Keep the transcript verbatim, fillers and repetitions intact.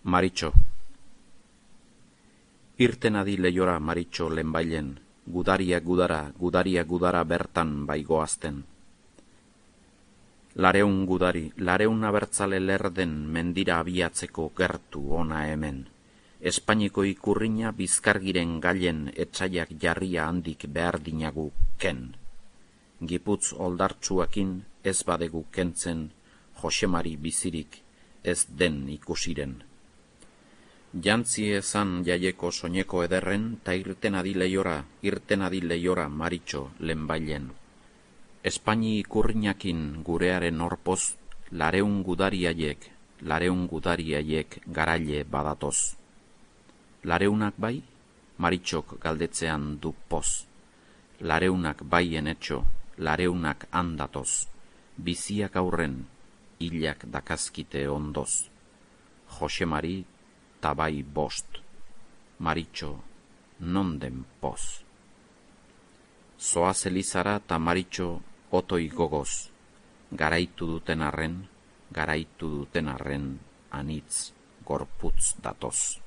Maritxo. Irten adi leiora Maritxo lehenbailen, gudaria gudara, gudaria gudara bertan baigoazten. Lareun gudari, lareun abertzale lerden mendira abiatzeko gertu ona hemen. Espainiko ikurriña bizkargiren gailen etxaiak jarria handik behar dinagu ken. Giputz oldartsuakin ez badegu kentzen, Josemari bizirik ez den ikusiren. Jantzi ezan jaieko soineko ederren, ta irten adi leiora, irten adi leiora Maritxo lehenbailen. Espaini ikurriñakin gurearen orpoz, lareun gudariaiek, lareun gudariaiek garaile badatoz. Lareunak bai, Maritxok galdetzean du poz. Lareunak bai enetxo, lareunak handatoz. Biziak aurren, hilak dakazkite ondoz. Josemari tabai bost. Maritxo, non den poz. Zoaz Elizara ta Maritxo otoi gogoz. Garaitu duten arren, garaitu duten arren, anitz gorputz datoz.